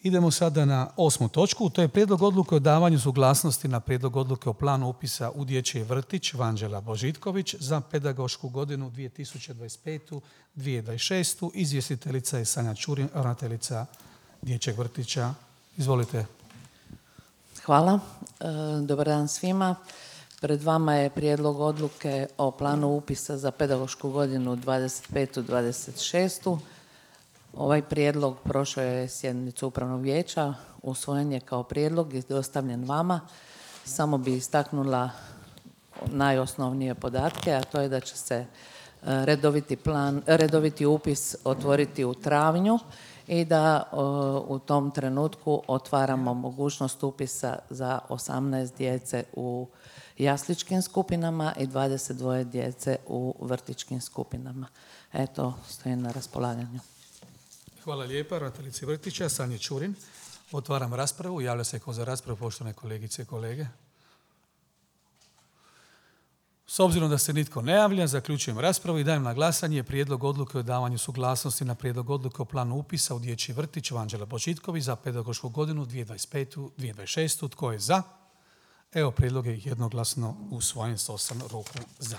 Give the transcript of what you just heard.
Idemo sada na 8. točku. To je prijedlog odluke o davanju suglasnosti na prijedlog odluke o planu upisa u dječji vrtić Vanđela Božitković za pedagošku godinu 2025-2026. Izvjestiteljica je Sanja Čurin, ravnateljica dječjeg vrtića. Izvolite. Hvala. Dobar dan svima. Pred vama je prijedlog odluke o planu upisa za pedagošku godinu 25-26. Ovaj prijedlog prošao je sjednicu upravnog vijeća, usvojen je kao prijedlog i dostavljen vama. Samo bi istaknula najosnovnije podatke, a to je da će se redoviti upis otvoriti u travnju i da u tom trenutku otvaramo mogućnost upisa za 18 djece u jasličkim skupinama i 22 djece u vrtićkim skupinama. Eto, stojim na raspolaganju. Hvala lijepa, ravnateljici vrtića Sanji Čurin. Otvaram raspravu. Javlja se ko za raspravu, poštovane kolegice i kolege. S obzirom da se nitko ne javlja, zaključujem raspravu i dajem na glasanje prijedlog odluke o davanju suglasnosti na prijedlog odluke o planu upisa u dječji vrtić Vanđela Božitković za pedagošku godinu 2025-2026. Tko je za? Evo, prijedlog je jednoglasno usvojen s 8 ruku za.